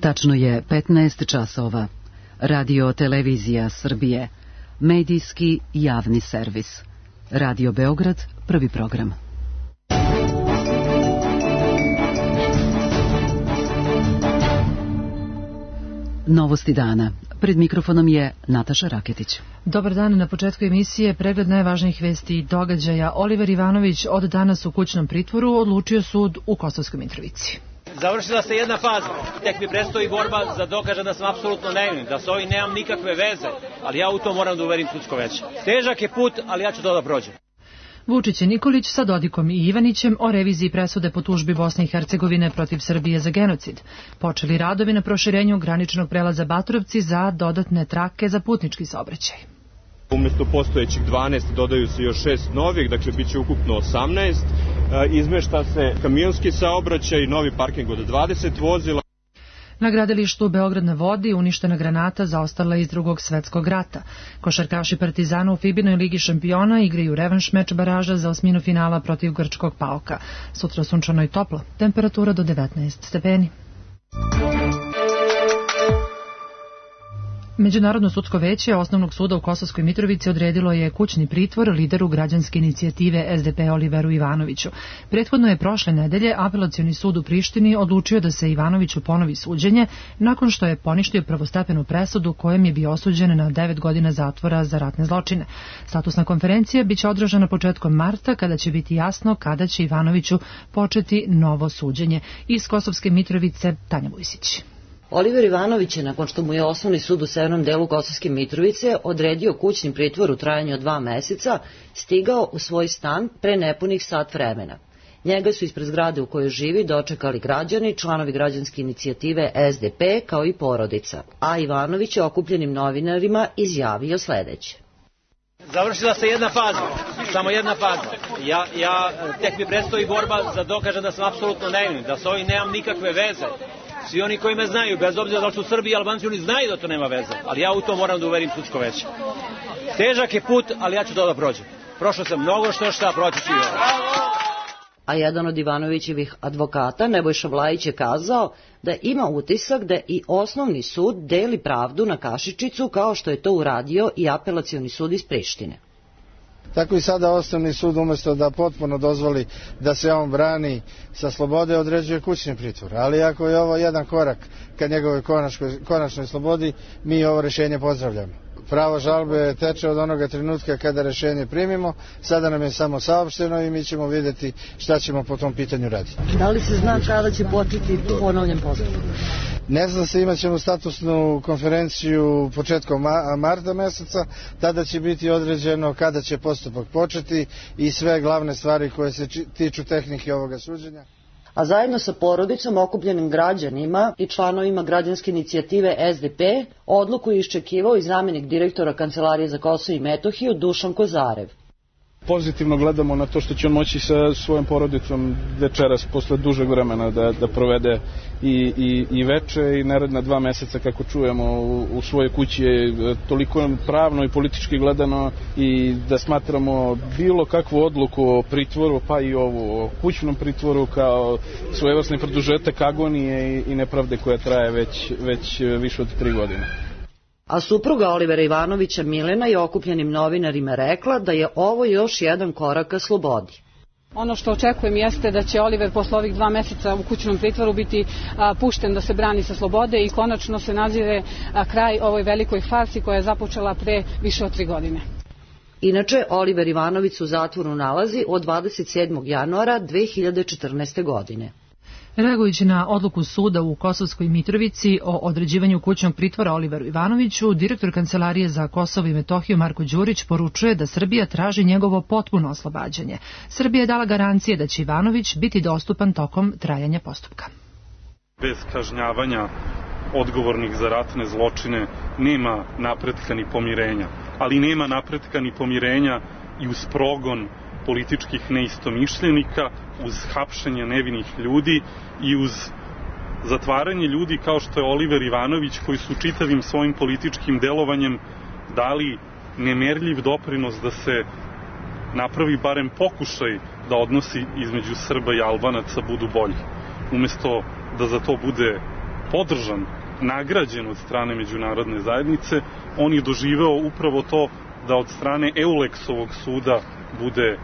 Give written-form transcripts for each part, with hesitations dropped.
Tačno je 15 časova. Radio Televizija Srbije. Medijski javni servis. Radio Beograd, prvi program. Novosti dana. Pred mikrofonom je Nataša Raketić. Dobar dan, na početku emisije pregled najvažnijih vesti i događaja. Oliver Ivanović od danas u kućnom pritvoru, odlučio sud u Kosovskoj Mitrovici. Završila se jedna faza, tek mi predstoji borba da dokažem da sam apsolutno nevin, da s ovim nemam nikakve veze, ali ja u to moram da uverim sudsko veće. Težak je put, ali ja ću to da prođem. Vučić i Nikolić sa Dodikom i Ivanićem o reviziji presude po tužbi Bosne i Hercegovine protiv Srbije za genocid. Počeli radovi na proširenju graničnog prelaza Baturovci za dodatne trake za putnički saobraćaj. Umesto postojećih 12 dodaju se još 6 novih, dakle bit će ukupno 18. Izmešta se kamionski saobraćaj, novi parking od 20 vozila. Na gradilištu Beograd na vodi uništena granata zaostala iz Drugog svetskog rata. Košarkaši Partizana u Fibinoj ligi šampiona igraju revanš meč baraža za osminu finala protiv grčkog Paoka. Sutra sunčano i toplo, temperatura do 19 stepeni. Međunarodno sudsko veće Osnovnog suda u Kosovskoj Mitrovici odredilo je kućni pritvor lideru građanske inicijative SDP Oliveru Ivanoviću. Prethodno je prošle nedelje Apelacioni sud u Prištini odlučio da se Ivanoviću ponovi suđenje nakon što je poništio prvostepenu presudu kojom je bio osuđen na 9 godina zatvora za ratne zločine. Statusna konferencija biće održana početkom marta kada će biti jasno kada će Ivanoviću početi novo suđenje. Iz Kosovske Mitrovice Tanja Vujsić. Oliver Ivanović je, nakon što mu je Osnovni sud u severnom delu Kosovske Mitrovice odredio kućni pritvor u trajanju od 2 meseca, stigao u svoj stan pre nepunih sat vremena. Njega su ispred zgrade u kojoj živi dočekali građani, članovi građanske inicijative SDP kao i porodica, a Ivanović je okupljenim novinarima izjavio sledeće. Završila se jedna faza, samo jedna faza. Ja tek mi predstoji borba da dokažem da sam apsolutno nevin, da s ovim nemam nikakve veze. Svi oni koji me znaju, bez obzira da li su Srbi i Albanci, oni znaju da to nema veze, ali ja u to moram da uverim sudsko veće. Težak je put, ali ja ću to da prođem. Prošao sam mnogo šta proći ću. A jedan od Ivanovićevih advokata, Nebojša Vlajić, je kazao da ima utisak da i Osnovni sud deli pravdu na kašičicu kao što je to uradio i Apelacioni sud iz Prištine. Tako i sada Osnovni sud umjesto da potpuno dozvoli da se on brani sa slobode određuje kućni pritvor. Ali ako je ovo jedan korak ka njegovoj konačnoj slobodi, mi ovo rješenje pozdravljamo. Pravo žalbe teče od onoga trenutka kada rješenje primimo, sada nam je samo saopšteno i mi ćemo vidjeti šta ćemo po tom pitanju raditi. Da li se zna kada će početi ponovljen postupak? Ne zna se, imat ćemo statusnu konferenciju početkom marta meseca, tada će biti određeno kada će postupak početi i sve glavne stvari koje se tiču tehnike ovoga suđenja. A zajedno sa porodicom, okupljenim građanima i članovima građanske inicijative SDP, odluku je iščekivao i zamjenik direktora Kancelarije za Kosovo i Metohiju Dušan Kozarev. Pozitivno gledamo na to što će on moći sa svojom porodicom večeras posle dužeg vremena da provede i veče i naredna 2 meseca, kako čujemo, u svojoj kući je toliko pravno i politički gledano i da smatramo bilo kakvu odluku o pritvoru, pa i ovu o kućnom pritvoru kao svojevrsni produžetak agonije i nepravde koja traje već više od 3 godine. A supruga Olivera Ivanovića Milena je okupljenim novinarima rekla da je ovo još jedan korak ka slobodi. Ono što očekujem jeste da će Oliver posle ovih 2 meseca u kućnom pritvoru biti pušten da se brani sa slobode i konačno se nazire kraj ovoj velikoj farsi koja je započela pre više od 3 godine. Inače, Oliver Ivanović u zatvoru nalazi od 27. januara 2014. godine. Reagujući na odluku suda u Kosovskoj Mitrovici o određivanju kućnog pritvora Oliveru Ivanoviću, direktor Kancelarije za Kosovo i Metohiju Marko Đurić poručuje da Srbija traži njegovo potpuno oslobađanje. Srbija je dala garancije da će Ivanović biti dostupan tokom trajanja postupka. Bez kažnjavanja odgovornih za ratne zločine nema napretka ni pomirenja, ali nema napretka ni pomirenja i uz progon političkih neistomišljenika, uz hapšenje nevinih ljudi i uz zatvaranje ljudi kao što je Oliver Ivanović, koji su čitavim svojim političkim delovanjem dali nemerljiv doprinos da se napravi barem pokušaj da odnosi između Srba i Albanaca budu bolji. Umesto da za to bude podržan, nagrađen od strane međunarodne zajednice, on je doživeo upravo to da od strane Eulexovog suda bude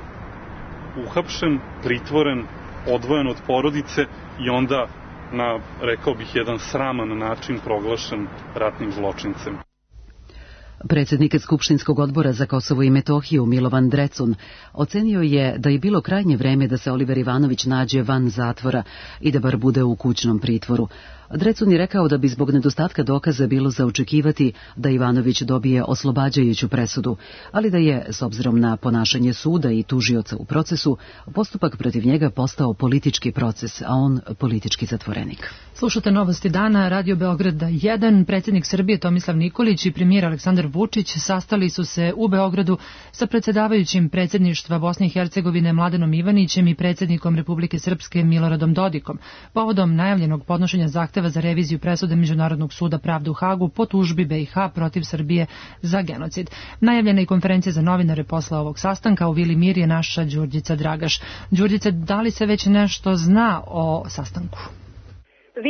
uhapšen, pritvoren, odvojen od porodice i onda na, rekao bih, jedan sraman način proglašen ratnim zločincem. Predsjednik Skupštinskog odbora za Kosovo i Metohiju Milovan Drecun ocenio je da je bilo krajnje vreme da se Oliver Ivanović nađe van zatvora i da bar bude u kućnom pritvoru. Drecun je rekao da bi zbog nedostatka dokaza bilo za očekivati da Ivanović dobije oslobađajuću presudu, ali da je, s obzirom na ponašanje suda i tužioca u procesu, postupak protiv njega postao politički proces, a on politički zatvorenik. Slušate Novosti dana, Radio Beograda 1. Predsjednik Srbije Tomislav Nikolić i premijer Aleksandar Vučić sastali su se u Beogradu sa predsjedavajućim predsjedništva Bosne i Hercegovine Mladenom Ivanićem i predsjednikom Republike Srpske Miloradom Dodikom, povodom najavljenog podnošenja zahteva za reviziju presude Međunarodnog suda pravde u Hagu po tužbi BiH protiv Srbije za genocid. Najavljena je konferencija za novinare posle ovog sastanka. U Vili Mir je naša Đurđica Dragaš. Đurđice, da li se već nešto zna o sastanku?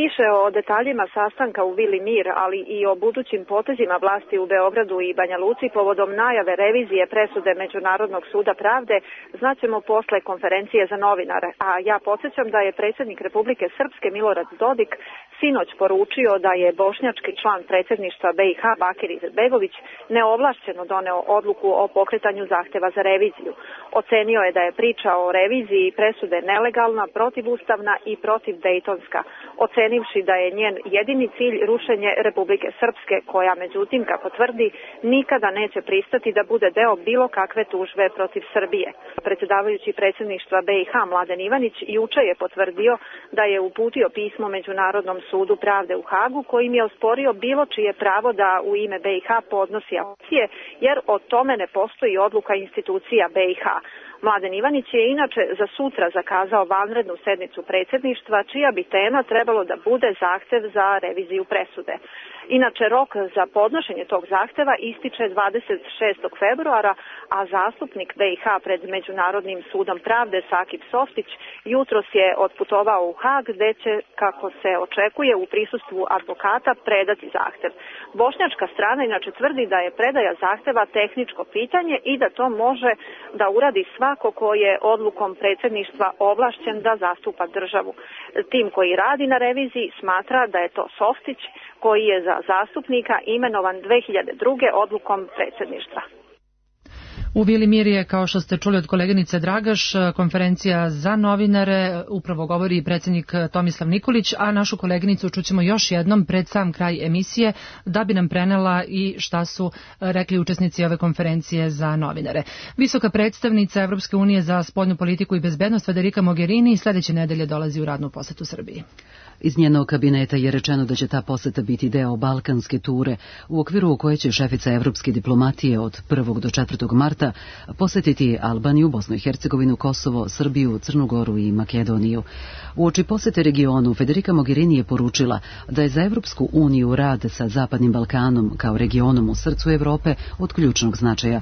Više o detaljima sastanka u Vili Mir, ali i o budućim potezima vlasti u Beogradu i Banja Luci povodom najave revizije presude Međunarodnog suda pravde znaćemo posle konferencije za novinare. A ja podsjećam da je predsjednik Republike Srpske Milorad Dodik sinoć poručio da je bošnjački član predsjedništva BiH Bakir Izetbegović neovlašćeno doneo odluku o pokretanju zahteva za reviziju. Ocenio je da je priča o reviziji presude nelegalna, protivustavna i protivdejtonska, ocenivši da je njen jedini cilj rušenje Republike Srpske, koja međutim, kako tvrdi, nikada neće pristati da bude deo bilo kakve tužbe protiv Srbije. Predsjedavajući predsjedništva BiH Mladen Ivanić juče je potvrdio da je uputio pismo Međunarodnom sudu pravde u Hagu, kojim je osporio bilo čije pravo da u ime BiH podnosi apelacije, jer o tome ne postoji odluka institucija BiH. Mladen Ivanić je inače za sutra zakazao vanrednu sednicu predsjedništva, čija bi tema trebalo da bude zahtev za reviziju presude. Inače, rok za podnošenje tog zahteva ističe 26. februara, a zastupnik BiH pred Međunarodnim sudom pravde Sakip Softić jutros je otputovao u Hag, gde će, kako se očekuje, u prisustvu advokata predati zahtev. Bošnjačka strana inače tvrdi da je predaja zahteva tehničko pitanje i da to može da uradi svako ko je odlukom predsjedništva ovlašćen da zastupa državu. Tim koji radi na reviziji smatra da je to Softić, koji je za zastupnika imenovan 2002. odlukom predsjedništva. U Vili Mir je, kao što ste čuli od koleginice Dragaš, konferencija za novinare, upravo govori predsjednik Tomislav Nikolić, a našu koleginicu čućemo još jednom pred sam kraj emisije da bi nam prenela i šta su rekli učesnici ove konferencije za novinare. Visoka predstavnica Evropske unije za spoljnu politiku i bezbednost Federica Mogherini sljedeće nedelje dolazi u radnu posetu Srbiji. Iz njenog kabineta je rečeno da će ta poseta biti deo balkanske ture, u okviru koje će šefica evropske diplomatije od 1. do 4. marta posetiti Albaniju, Bosnu i Hercegovinu, Kosovo, Srbiju, Crnu Goru i Makedoniju. Uoči posete regionu, Federica Mogherini je poručila da je za Evropsku uniju rad sa Zapadnim Balkanom kao regionom u srcu Evrope od ključnog značaja.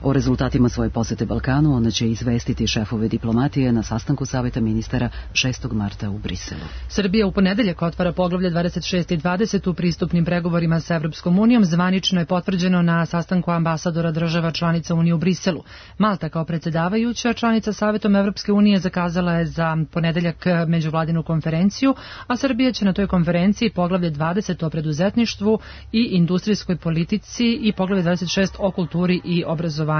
O rezultatima svoje posete Balkanu ona će izvestiti šefove diplomatije na sastanku Saveta ministara 6. marta u Briselu. Srbija u ponedeljak otvara poglavlje 26 i 20 u pristupnim pregovorima sa Evropskom unijom. Zvanično je potvrđeno na sastanku ambasadora država članica Unije u Briselu. Malta kao predsjedavajuća članica Savetom Evropske unije zakazala je za ponedeljak međuvladinu konferenciju, a Srbija će na toj konferenciji poglavlje 20 o preduzetništvu i industrijskoj politici i poglavlje 26 o kulturi i obrazovanju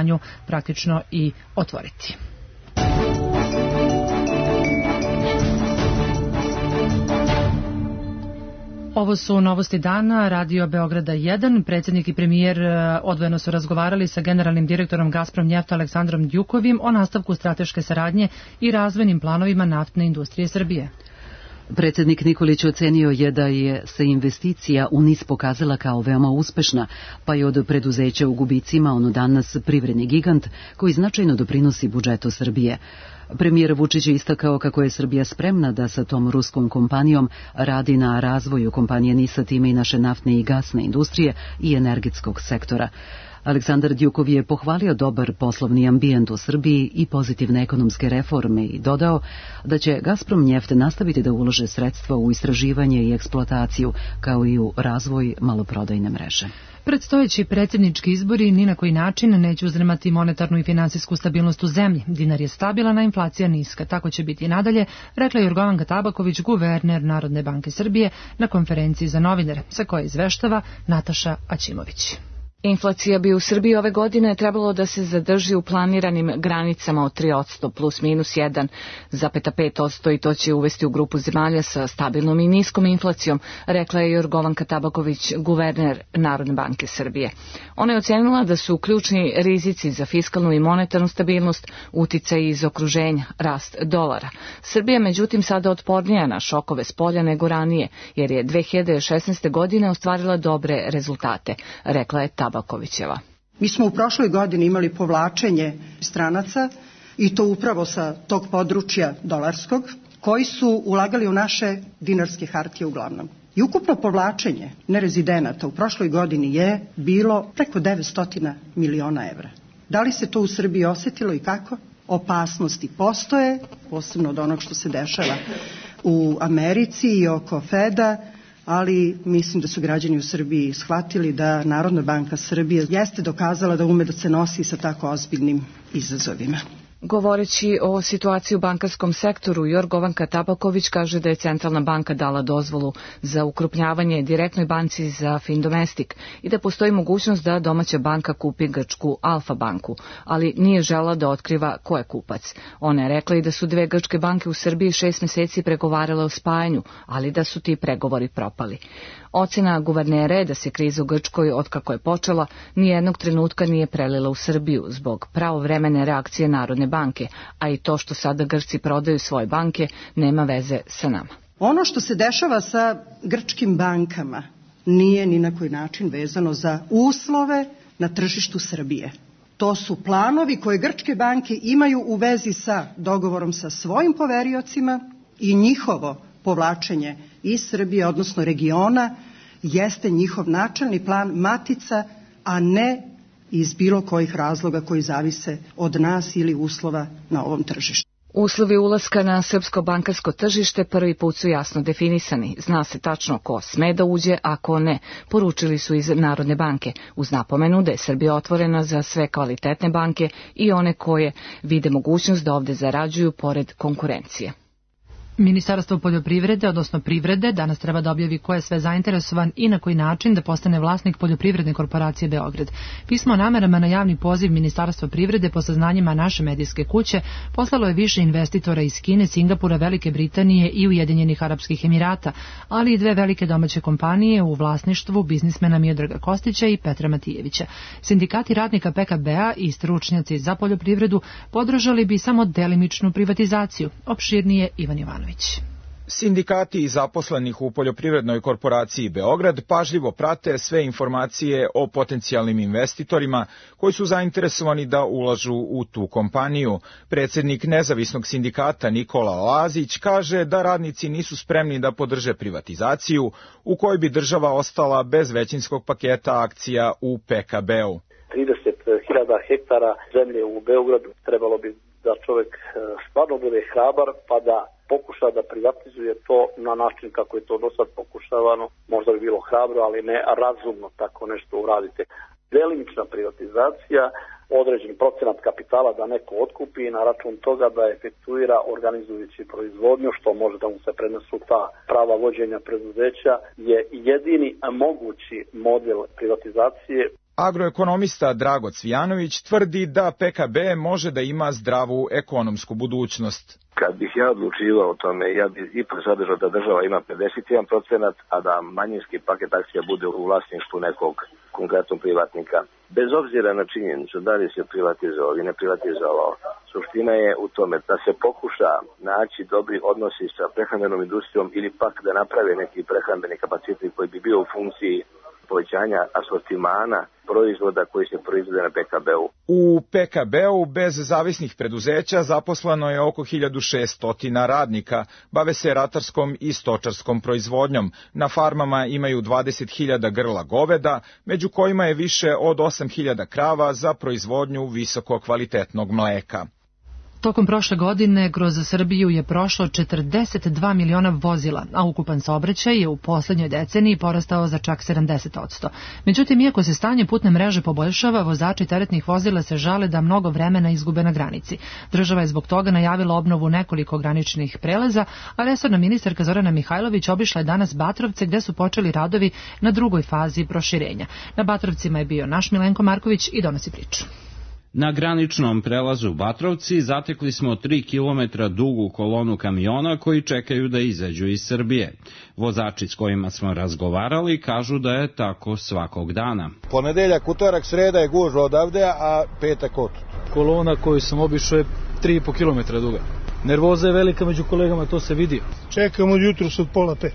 praktično i otvoriti. Ovo su novosti dana, Radio Beograda 1. Predsjednik i premijer odvojeno su razgovarali sa generalnim direktorom Gazprom Njefta Aleksandrom Djukovim o nastavku strateške saradnje i razvojnim planovima naftne industrije Srbije. Predsjednik Nikolić ocenio je da je se investicija u NIS pokazala kao veoma uspešna, pa je od preduzeća u gubicima ono danas privredni gigant koji značajno doprinosi budžetu Srbije. Premijer Vučić je istakao kako je Srbija spremna da sa tom ruskom kompanijom radi na razvoju kompanije NIS-a, time i naše naftne i gasne industrije i energetskog sektora. Aleksandar Djukov je pohvalio dobar poslovni ambijent u Srbiji i pozitivne ekonomske reforme i dodao da će Gazprom Njeft nastaviti da ulaže sredstva u istraživanje i eksploataciju, kao i u razvoj maloprodajne mreže. Predstojeći predsjednički izbori ni na koji način neće uzdrmati monetarnu i finansijsku stabilnost u zemlji. Dinar je stabilan, a inflacija niska. Tako će biti i nadalje, rekla je Jorgovanka Tabaković, guverner Narodne banke Srbije, na konferenciji za novinare, sa koje izveštava Nataša Aćimović. Inflacija bi u Srbiji ove godine trebalo da se zadrži u planiranim granicama od 3% plus minus 1,5% i to će uvesti u grupu zemalja sa stabilnom i niskom inflacijom, rekla je Jorgovanka Tabaković, guverner Narodne banke Srbije. Ona je ocenila da su ključni rizici za fiskalnu i monetarnu stabilnost uticaj iz okruženja, rast dolara. Srbija međutim sada otpornija na šokove spolja nego ranije, jer je 2016. godine ostvarila dobre rezultate, rekla je Tabakovićeva. Mi smo u prošloj godini imali povlačenje stranaca i to upravo sa tog područja dolarskog, koji su ulagali u naše dinarske hartije uglavnom. I ukupno povlačenje nerezidenata u prošloj godini je bilo preko 900 miliona evra. Da li se to u Srbiji osetilo i kako? Opasnosti postoje, posebno od onog što se dešava u Americi i oko Feda, ali mislim da su građani u Srbiji shvatili da Narodna banka Srbije jeste dokazala da ume da se nosi sa tako ozbiljnim izazovima. Govoreći o situaciji u bankarskom sektoru, Jorgovanka Tabaković kaže da je Centralna banka dala dozvolu za ukrupnjavanje direktnoj banci za Findomestic i da postoji mogućnost da domaća banka kupi grčku Alfa banku, ali nije žela da otkriva ko je kupac. Ona je rekla i da su 2 grčke banke u Srbiji 6 meseci pregovarale o spajanju, ali da su ti pregovori propali. Ocena guvernera je da se kriza u Grčkoj, otkako je počela, nijednog trenutka nije prelila u Srbiju zbog pravovremene reakcije Narodne banke, a i to što sada Grčci prodaju svoje banke nema veze sa nama. Ono što se dešava sa grčkim bankama nije ni na koji način vezano za uslove na tržištu Srbije. To su planovi koje grčke banke imaju u vezi sa dogovorom sa svojim poveriocima i njihovo povlačenje iz Srbije, odnosno regiona, jeste njihov načelni plan matica, a ne iz bilo kojih razloga koji zavise od nas ili uslova na ovom tržištu. Uslovi ulaska na srpsko bankarsko tržište prvi put su jasno definisani. Zna se tačno ko sme da uđe, a ko ne, poručili su iz Narodne banke, uz napomenu da je Srbija otvorena za sve kvalitetne banke i one koje vide mogućnost da ovde zarađuju pored konkurencije. Ministarstvo poljoprivrede, odnosno privrede, danas treba da objavi ko je sve zainteresovan i na koji način da postane vlasnik poljoprivredne korporacije Beograd. Pismo o namerama na javni poziv Ministarstva privrede po saznanjima naše medijske kuće poslalo je više investitora iz Kine, Singapura, Velike Britanije i Ujedinjenih Arapskih Emirata, ali i 2 velike domaće kompanije u vlasništvu biznismena Miodraga Kostića i Petra Matijevića. Sindikati radnika PKB-a i stručnjaci za poljoprivredu podržali bi samo delimičnu privatizaciju. Opširnije Ivan Jovanović. Sindikati zaposlenih u poljoprivrednoj korporaciji Beograd pažljivo prate sve informacije o potencijalnim investitorima koji su zainteresovani da ulažu u tu kompaniju. Predsjednik nezavisnog sindikata Nikola Lazić kaže da radnici nisu spremni da podrže privatizaciju u kojoj bi država ostala bez većinskog paketa akcija u PKB-u. 30.000 hektara zemlje u Beogradu trebalo bi da čovjek stvarno bude hrabar pa da pokuša da privatizuje to na način kako je to do sad pokušavano. Možda bi bilo hrabro, ali ne razumno tako nešto uradite. Delimična privatizacija, određen procenat kapitala da neko otkupi na račun toga da efektuira organizujući proizvodnju, što može da mu se prenesu ta prava vođenja preduzeća, je jedini mogući model privatizacije. Agroekonomista Drago Cvijanović tvrdi da PKB može da ima zdravu ekonomsku budućnost. Kad bih ja odlučivao o tome, ja bih ipak zadržao da država ima 51%, a da manjinski paket akcija bude u vlasništvu nekog konkretnog privatnika. Bez obzira na činjenicu da li se privatizovao ili ne privatizovao, suština je u tome da se pokuša naći dobri odnosi sa prehrambenom industrijom ili pak da naprave neki prehrambeni kapacitet koji bi bio u funkciji povećanja asortimana proizvoda koji se proizvode na PKB-u. U PKB-u bez zavisnih preduzeća zaposleno je oko 1600 radnika, bave se ratarskom i stočarskom proizvodnjom. Na farmama imaju 20.000 grla goveda, među kojima je više od 8.000 krava za proizvodnju visoko kvalitetnog mleka. Tokom prošle godine kroz Srbiju je prošlo 42 miliona vozila, a ukupan saobraćaj je u poslednjoj deceniji porastao za čak 70%. Međutim, iako se stanje putne mreže poboljšava, vozači teretnih vozila se žale da mnogo vremena izgube na granici. Država je zbog toga najavila obnovu nekoliko graničnih prelaza, a resorna ministarka Zorana Mihajlović obišla je danas Batrovce gde su počeli radovi na drugoj fazi proširenja. Na Batrovcima je bio naš Milenko Marković i donosi priču. Na graničnom prelazu Batrovci zatekli smo 3 kilometra dugu kolonu kamiona koji čekaju da izađu iz Srbije. Vozači s kojima smo razgovarali kažu da je tako svakog dana. Ponedeljak, utorak, sreda je gužva odavde, a petak otud. Kolona koju sam obišao je 3,5 kilometra duga. Nervoza je velika među kolegama, to se vidi. Čekam od jutros od 4:30.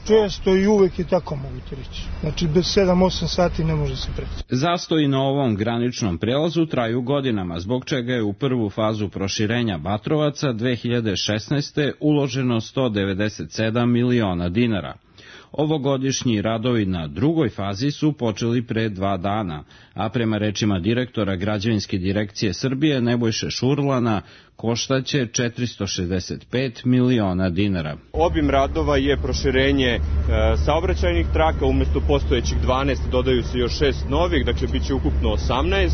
Često i uvek je tako, mogu ti reći. Znači, bez 7-8 sati ne može se preći. Zastoji na ovom graničnom prelazu traju godinama, zbog čega je u prvu fazu proširenja Batrovaca 2016. uloženo 197 miliona dinara. Ovogodišnji radovi na drugoj fazi su počeli pre 2 dana, a prema rečima direktora Građevinske direkcije Srbije Nebojše Šurlana koštaće 465 miliona dinara. Obim radova je proširenje saobraćajnih traka, umesto postojećih 12 dodaju se još 6 novih, dakle bit će ukupno 18.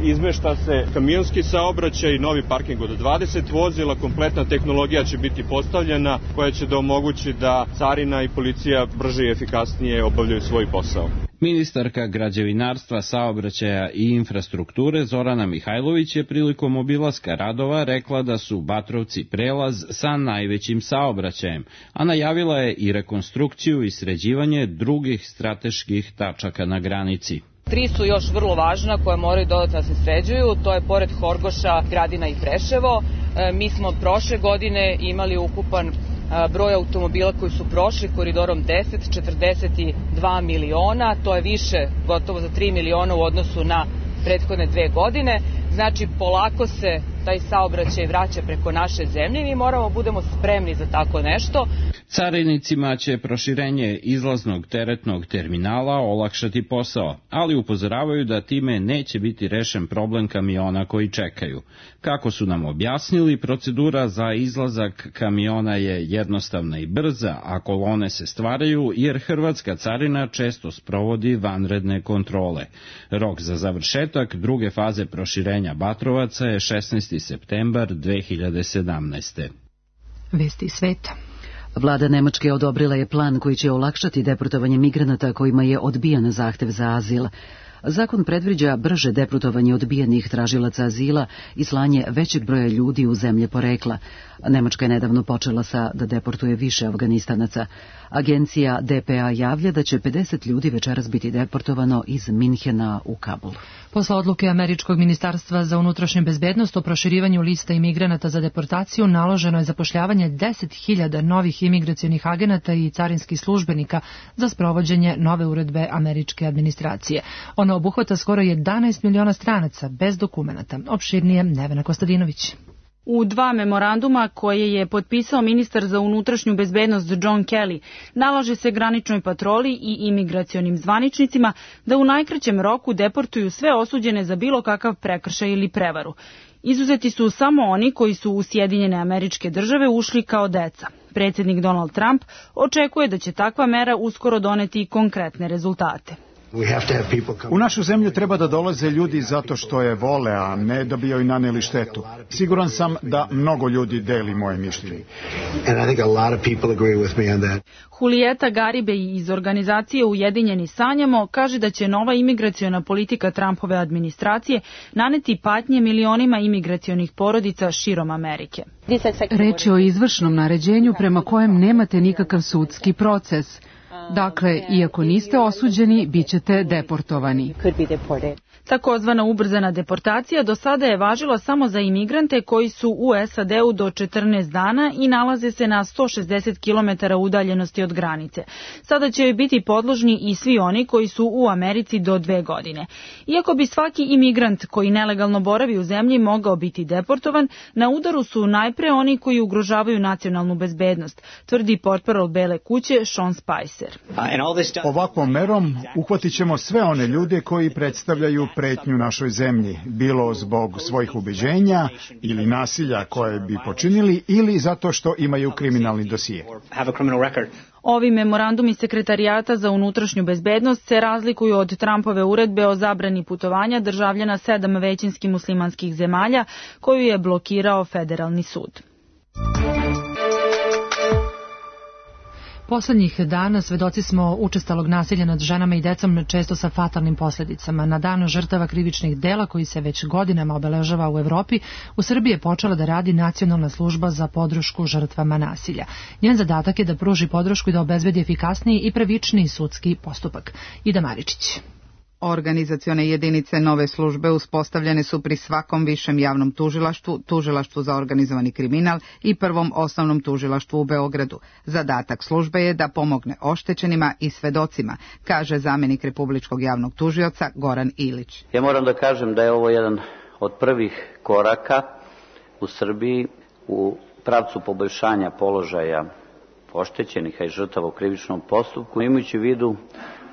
Izmešta se kamionski saobraćaj, novi parking od 20 vozila, kompletna tehnologija će biti postavljena koja će da omogući da carina i policija brže i efikasnije obavljaju svoj posao. Ministarka građevinarstva, saobraćaja i infrastrukture Zorana Mihajlović je prilikom obilaska radova rekla da su Batrovci prelaz sa najvećim saobraćajem, a najavila je i rekonstrukciju i sređivanje drugih strateških tačaka na granici. 3 su još vrlo važna koja moraju dodatno da se sređuju, to je pored Horgoša, Gradina i Preševo. Mi smo prošle godine imali ukupan broj automobila koji su prošli koridorom 10, 42 miliona, to je više, gotovo za 3 miliona u odnosu na prethodne 2 godine. Znači, polako se taj saobraćaj vraća preko naše zemlje i mi moramo budemo spremni za tako nešto. Carinicima će proširenje izlaznog teretnog terminala olakšati posao, ali upozoravaju da time neće biti rešen problem kamiona koji čekaju. Kako su nam objasnili, procedura za izlazak kamiona je jednostavna i brza, a kolone se stvaraju jer hrvatska carina često sprovodi vanredne kontrole. Rok za završetak druge faze proširenja Batrovaca je 16. septembar 2017. Vesti sveta. Vlada Nemačke odobrila je plan koji će olakšati deportovanje migranata kojima je odbijan zahtev za azil. Zakon predviđa brže deportovanje odbijenih tražilaca azila i slanje većeg broja ljudi u zemlje porekla. Nemačka je nedavno počela da deportuje više Afganistanaca. Agencija DPA javlja da će 50 ljudi večeras biti deportovano iz Minhena u Kabul. Posle odluke Američkog ministarstva za unutrašnju bezbednost o proširivanju lista imigranata za deportaciju naloženo je zapošljavanje 10.000 novih imigracionih agenata i carinskih službenika za sprovođenje nove uredbe američke administracije. Ona obuhvata skoro 11 miliona stranaca bez dokumenata. Opširnije Nevena Kostadinović. U 2 memoranduma koje je potpisao ministar za unutrašnju bezbednost John Kelly, nalaže se graničnoj patroli i imigracionim zvaničnicima da u najkraćem roku deportuju sve osuđene za bilo kakav prekršaj ili prevaru. Izuzeti su samo oni koji su u Sjedinjene Američke Države ušli kao deca. Predsjednik Donald Trump očekuje da će takva mera uskoro doneti konkretne rezultate. U našu zemlju treba da dolaze ljudi zato što je vole, a ne da bi joj naneli štetu. Siguran sam da mnogo ljudi deli moje mišljenje. Julieta Garibay iz organizacije Ujedinjeni sanjamo kaže da će nova imigraciona politika Trumpove administracije naneti patnje milionima imigracionih porodica širom Amerike. Reč je o izvršnom naređenju prema kojem nemate nikakav sudski proces. Dakle, iako niste osuđeni, bit ćete deportovani. Takozvana ubrzana deportacija do sada je važila samo za imigrante koji su u SAD-u do 14 dana i nalaze se na 160 km udaljenosti od granice. Sada će biti podložni i svi oni koji su u Americi do 2 godine. Iako bi svaki imigrant koji nelegalno boravi u zemlji mogao biti deportovan, na udaru su najpre oni koji ugrožavaju nacionalnu bezbednost, tvrdi portparol Bele kuće Sean Spicer. Ovakvom merom uhvatit ćemo sve one ljude koji predstavljaju pretnju našoj zemlji, bilo zbog svojih ubeđenja ili nasilja koje bi počinili ili zato što imaju kriminalni dosije. Ovi memorandumi Sekretarijata za unutrašnju bezbednost se razlikuju od Trumpove uredbe o zabrani putovanja državljana 7 većinski muslimanskih zemalja koju je blokirao federalni sud. Poslednjih dana svedoci smo učestalog nasilja nad ženama i decom, često sa fatalnim posledicama. Na dan žrtava krivičnih dela, koji se već godinama obeležava u Evropi, u Srbiji je počela da radi Nacionalna služba za podršku žrtvama nasilja. Njen zadatak je da pruži podršku i da obezbedi efikasniji i pravičniji sudski postupak. Ida Maričić. Organizacione jedinice nove službe uspostavljene su pri svakom višem javnom tužilaštvu, tužilaštvu za organizovani kriminal i prvom osnovnom tužilaštvu u Beogradu. Zadatak službe je da pomogne oštećenima i svedocima, kaže zamenik Republičkog javnog tužioca Goran Ilić. Ja moram da kažem da je ovo jedan od prvih koraka u Srbiji u pravcu poboljšanja položaja oštećenih i žrtava u krivičnom postupku, imajući u vidu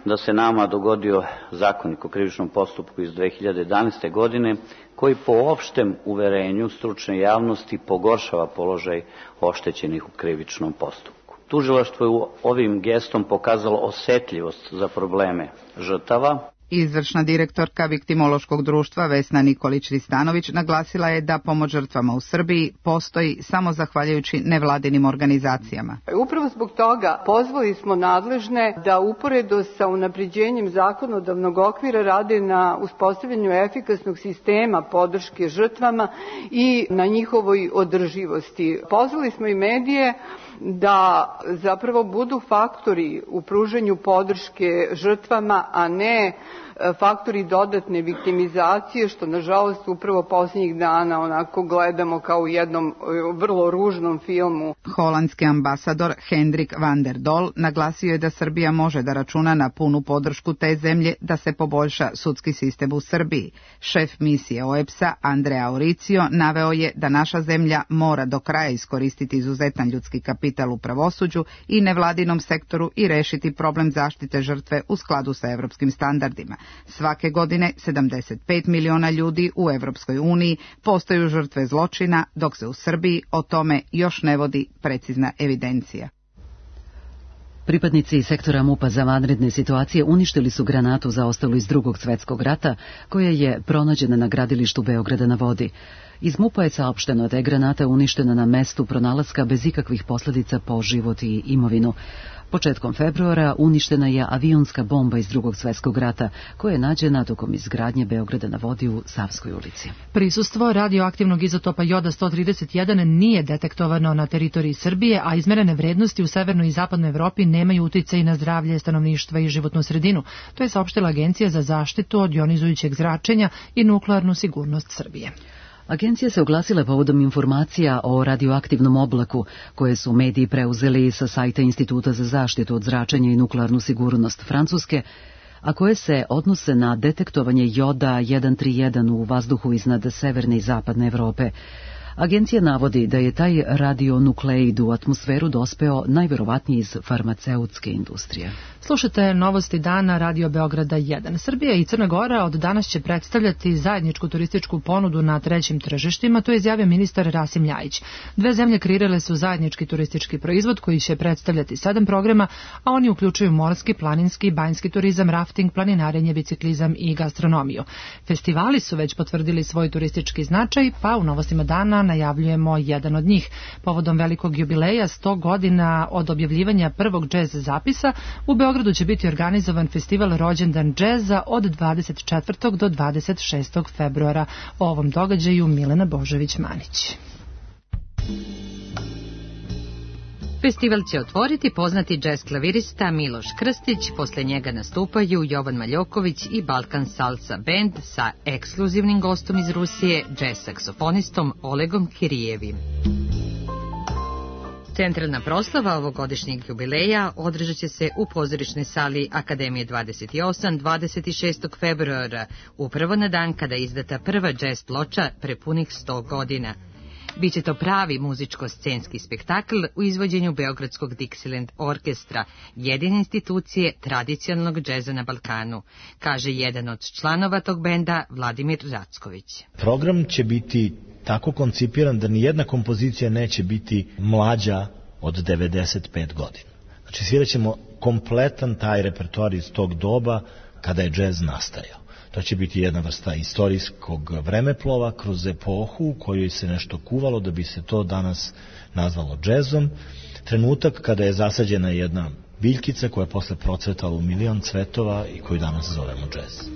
da se nama dogodio zakonik o krivičnom postupku iz 2011. godine, koji po opštem uverenju stručne javnosti pogoršava položaj oštećenih u krivičnom postupku. Tužilaštvo je ovim gestom pokazalo osetljivost za probleme žrtava. Izvršna direktorka Viktimološkog društva Vesna Nikolić-Ristanović naglasila je da pomoć žrtvama u Srbiji postoji samo zahvaljujući nevladinim organizacijama. Upravo zbog toga pozvali smo nadležne da uporedo sa unapređenjem zakonodavnog okvira rade na uspostavljanju efikasnog sistema podrške žrtvama i na njihovoj održivosti. Pozvali smo i medije da zapravo budu faktori u pružanju podrške žrtvama, a ne faktori dodatne viktimizacije, što nažalost upravo posljednjih dana onako gledamo kao u jednom vrlo ružnom filmu. Holandski ambasador Hendrik van der Dol naglasio je da Srbija može da računa na punu podršku te zemlje da se poboljša sudski sistem u Srbiji. Šef misije OEBS-a Andrea Auricio naveo je da naša zemlja mora do kraja iskoristiti izuzetan ljudski kapital u pravosuđu i nevladinom sektoru i rešiti problem zaštite žrtve u skladu sa evropskim standardima. Svake godine 75 miliona ljudi u Evropskoj uniji postaju žrtve zločina, dok se u Srbiji o tome još ne vodi precizna evidencija. Pripadnici sektora MUP-a za vanredne situacije uništili su granatu zaostalu iz Drugog svjetskog rata, koja je pronađena na gradilištu Beograda na vodi. Iz MUP-a je saopšteno da je granata uništena na mestu pronalaska bez ikakvih posljedica po život i imovinu. Početkom februara uništena je avionska bomba iz Drugog svjetskog rata, koja je nađena tokom izgradnje Beograda na vodi u Savskoj ulici. Prisustvo radioaktivnog izotopa joda 131 nije detektovano na teritoriji Srbije, a izmerene vrednosti u severnoj i zapadnoj Evropi nemaju uticaj na zdravlje stanovništva i životnu sredinu. To je saopštila Agencija za zaštitu od jonizujućeg zračenja i nuklearnu sigurnost Srbije. Agencija se oglasila povodom informacija o radioaktivnom oblaku koje su mediji preuzeli sa sajta Instituta za zaštitu od zračenja i nuklearnu sigurnost Francuske, a koje se odnose na detektovanje joda 131 u vazduhu iznad severne i zapadne Evrope. Agencija navodi da je taj radionukleid u atmosferu dospeo najverovatnije iz farmaceutske industrije. Slušate novosti dana Radio Beograda 1. Srbija i Crna Gora od danas će predstavljati zajedničku turističku ponudu na trećim tržištima, to je izjavio ministar Rasim Ljajić. Dve zemlje kreirale su zajednički turistički proizvod koji će predstavljati 7 programa, a oni uključuju morski, planinski, banjski turizam, rafting, planinarenje, biciklizam i gastronomiju. Festivali su već potvrdili svoj turistički značaj, pa u novostima dana najavljujemo jedan od njih. Povodom velikog jubileja 100 godina od objavljivanja prvog džez zapisa, u Beogradu će biti organizovan festival Rođendan džeza od 24. do 26. februara. O ovom događaju Milena Božović-Manić. Festival će otvoriti poznati džez klavirista Miloš Krstić, posle njega nastupaju Jovan Maljoković i Balkan Salsa Band sa ekskluzivnim gostom iz Rusije, džez saksofonistom Olegom Kirijevim. Centralna proslava ovogodišnjeg jubileja održat će se u pozorišnoj sali Akademije 28 26. februara, upravo na dan kada je izdata prva džez ploča prepunih 100 godina. Biće to pravi muzičko-scenski spektakl u izvođenju Beogradskog Dixieland orkestra, jedine institucije tradicionalnog džeza na Balkanu, kaže jedan od članova tog benda, Vladimir Racković. Program će biti tako koncipiran da nijedna kompozicija neće biti mlađa od 95 godina. Znači svirat ćemo kompletan taj repertoar iz tog doba kada je džez nastajao. To će biti jedna vrsta istorijskog vremeplova kroz epohu u kojoj se nešto kuvalo da bi se to danas nazvalo džezom. Trenutak kada je zasađena jedna biljkica koja je posle procvetala u milion cvetova i koju danas zovemo džez.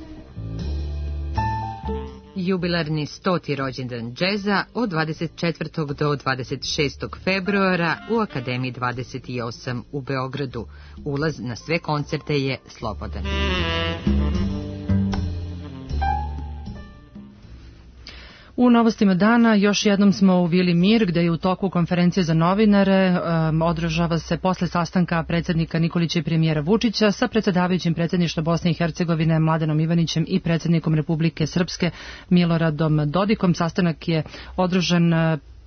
Jubilarni 100. rođendan džeza od 24. do 26. februara u Akademiji 28 u Beogradu. Ulaz na sve koncerte je slobodan. U novostima dana još jednom smo u Vili Mir, gde je u toku konferencije za novinare održava se posle sastanka predsjednika Nikolića i premijera Vučića sa predsjedavajućim predsjedništva Bosne i Hercegovine Mladenom Ivanićem i predsjednikom Republike Srpske Miloradom Dodikom. Sastanak je održan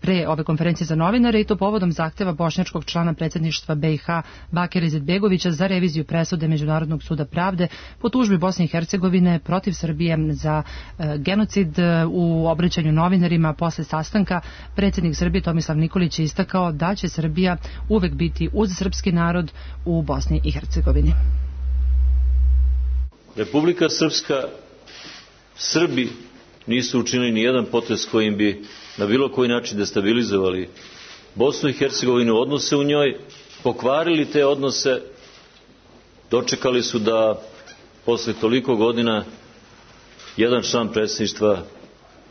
pre ove konferencije za novinare i to povodom zahteva bošnjačkog člana predsjedništva BiH Bakira Izetbegovića za reviziju presude Međunarodnog suda pravde po tužbi Bosne i Hercegovine protiv Srbije za genocid. U obraćanju novinarima posle sastanka predsjednik Srbije Tomislav Nikolić je istakao da će Srbija uvek biti uz srpski narod u Bosni i Hercegovini. Republika Srpska, Srbi nisu učinili ni jedan potez kojim bi na bilo koji način destabilizovali Bosnu i Hercegovinu, odnose u njoj, pokvarili te odnose, dočekali su da posle toliko godina jedan član predsjedništva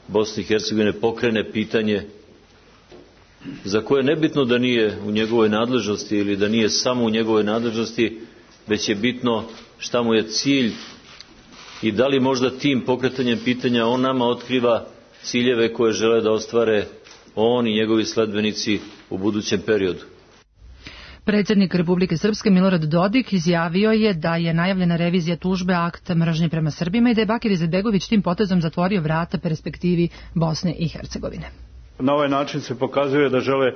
Bosne i Hercegovine pokrene pitanje za koje nebitno da nije u njegovoj nadležnosti ili da nije samo u njegovoj nadležnosti, već je bitno šta mu je cilj i da li možda tim pokretanjem pitanja on nama otkriva ciljeve koje žele da ostvare on i njegovi sledbenici u budućem periodu. Predsjednik Republike Srpske Milorad Dodik izjavio je da je najavljena revizija tužbe akt mržnje prema Srbima i da je Bakir Izetbegović tim potezom zatvorio vrata perspektivi Bosne i Hercegovine. Na ovaj način se pokazuje da žele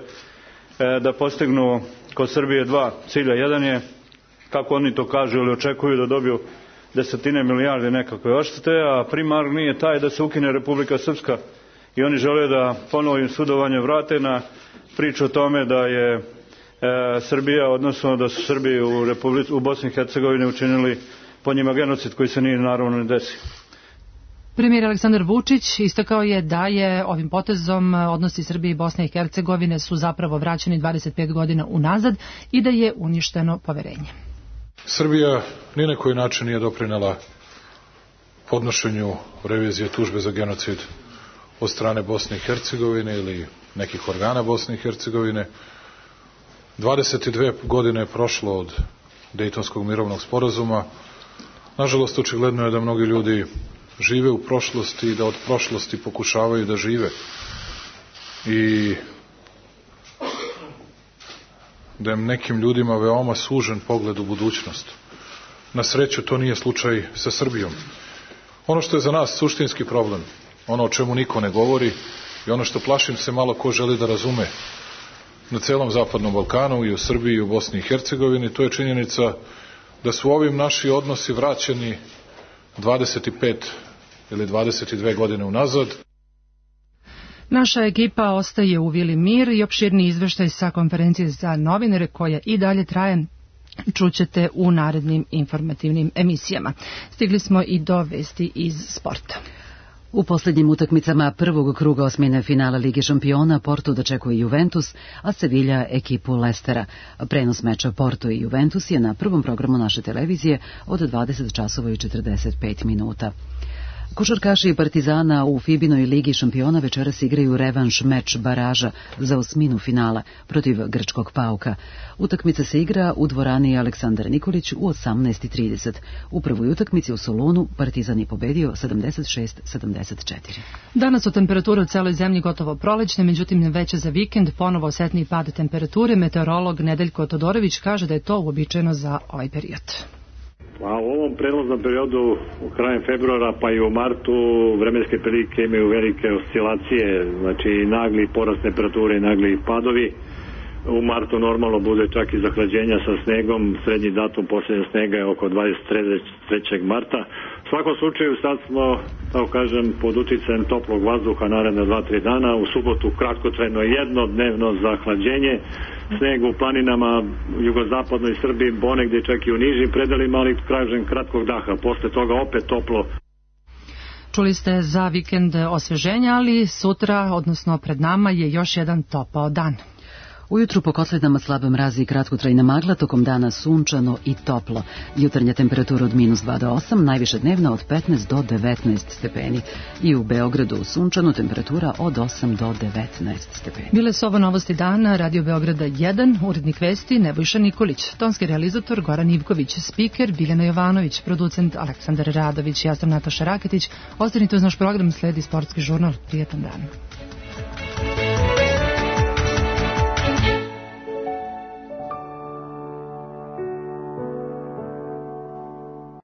da postignu kod Srbije dva cilja. Jedan je, kako oni to kažu ili očekuju, da dobiju desetine milijarde nekakve odštete, a primarni je taj da se ukine Republika Srpska i oni žele da ponovo sudovanje vrate na priču o tome da je Srbija, odnosno da su Srbi u Bosni i Hercegovini učinili po njima genocid koji se nije naravno ne desio. Premijer Aleksandar Vučić istakao je da je ovim potezom odnosi Srbije i Bosne i Hercegovine su zapravo vraćeni 25 godina unazad i da je uništeno poverenje. Srbija ni na koji način nije doprinela podnošenju revizije tužbe za genocid od strane Bosne i Hercegovine ili nekih organa Bosne i Hercegovine. 22 godine je prošlo od Dejtonskog mirovnog sporazuma. Nažalost, očigledno je da mnogi ljudi žive u prošlosti i da od prošlosti pokušavaju da žive. I da je nekim ljudima veoma sužen pogled u budućnost. Na sreću, to nije slučaj sa Srbijom. Ono što je za nas suštinski problem, ono o čemu niko ne govori i ono što plašim se malo ko želi da razume na celom Zapadnom Balkanu i u Srbiji i u Bosni i Hercegovini, to je činjenica da su ovim naši odnosi vraćeni 25 ili 22 godine unazad. Naša ekipa ostaje u Vili Mir i opširni izveštaj sa konferencije za novinare koja i dalje traje čućete u narednim informativnim emisijama. Stigli smo i do vesti iz sporta. U posljednjim utakmicama prvog kruga osmine finala Lige šampiona Porto dočekuje Juventus, a Sevilla ekipu Lestera. Prenos meča Porto i Juventus je na prvom programu naše televizije od 20 časova i 45 minuta. Košarkaši Partizana u Fibinoj ligi šampiona večeras igraju revanš meč baraža za osminu finala protiv grčkog Pauka. Utakmica se igra u dvorani Aleksandar Nikolić u 18:30. U prvoj utakmici u Solunu Partizan je pobedio 76-74. Danas su temperature u celoj zemlji gotovo prolećne, međutim veće za vikend, ponovo osetniji pad temperature. Meteorolog Nedeljko Todorović kaže da je to uobičajeno za ovaj period. A u ovom prelaznom periodu, u krajem februara pa i u martu, vremenske prilike imaju velike oscilacije, znači nagli porast temperature i nagli padovi. U martu normalno bude čak i zahlađenja sa snegom, srednji datum posljednja snega je oko 23. marta. U svakom slučaju sad smo, tako kažem, pod uticajem toplog vazduha naredna 2-3 dana. U subotu kratkotrajno jednodnevno zahlađenje, sneg u planinama jugozapadnoj Srbiji, ponegdje čak i u nižim predelima, ali kažem kratkog daha. Posle toga opet toplo. Čuli ste za vikend osveženja, ali sutra, odnosno pred nama, je još jedan topao dan. Ujutru po kotlinama slaba mrazi i kratkotrajna magla, tokom dana sunčano i toplo. Jutarnja temperatura od -2 do 8, najviše dnevna od 15 do 19 stepeni. I u Beogradu sunčano, temperatura od 8 do 19 stepeni. Bile su ovo novosti dana, Radio Beograda 1, urednik vesti Nebojša Nikolić, tonski realizator Goran Ivković, spiker Biljana Jovanović, producent Aleksandar Radović, ja sam Nataša Raketić. Ostanite uz naš program, sledi sportski žurnal. Prijetan dan.